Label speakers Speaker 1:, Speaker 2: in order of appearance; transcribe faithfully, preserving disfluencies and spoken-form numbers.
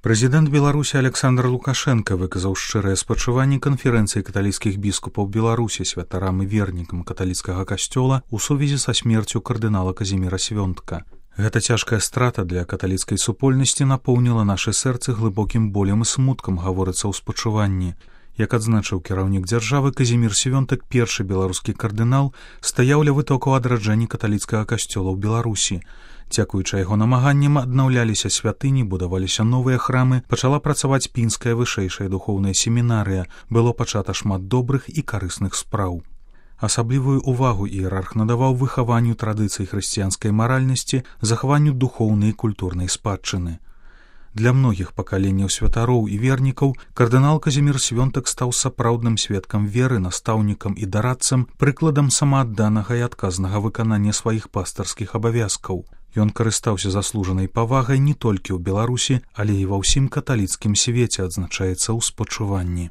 Speaker 1: Прэзідэнт Беларусі Александр Лукашенко выказаў шчырыя спачуванні канферэнцыі каталіцкіх біскупаў Беларусі, святарам і вернікам каталіцкага касцёла ў сувязі са смерцю кардынала Казіміра Свёнтка. Гэта цяжкая страта для каталіцкай супольнасці напоўніла нашы сэрцы глыбокім болем і смуткам, гаворыцца ў спачуванні. Як адзначыў кіраўнік дзяржавы, Казімір Свёнтак, першы беларускі кардынал, стаяў ля вытокаў адраджэння каталіцкага касцёла ў Беларусі. Дзякуючы яго намаганням аднаўляліся святыні, будаваліся новыя храмы, пачала працаваць пінская вышэйшая духоўная семінарыя, было пачата шмат добрых і карысных спраў. Асаблівую ўвагу іерарх надаваў выхаванню традыцый хрысціянскай маральнасці, захаванню духоўнай і культурнай спадчыны. Для многіх пакаленняў святароў і вернікаў кардынал Казімір Свёнтак стаў сапраўдным сведкам веры, настаўнікам і дарадцам, прыкладам самаадданага і адказнага выканання сваіх пастарскіх абавязкаў. Ён карыстаўся заслужанай павагай не толькі ў Беларусі, але і ва ўсім каталіцкім свеце, адзначаецца ў спачуванні.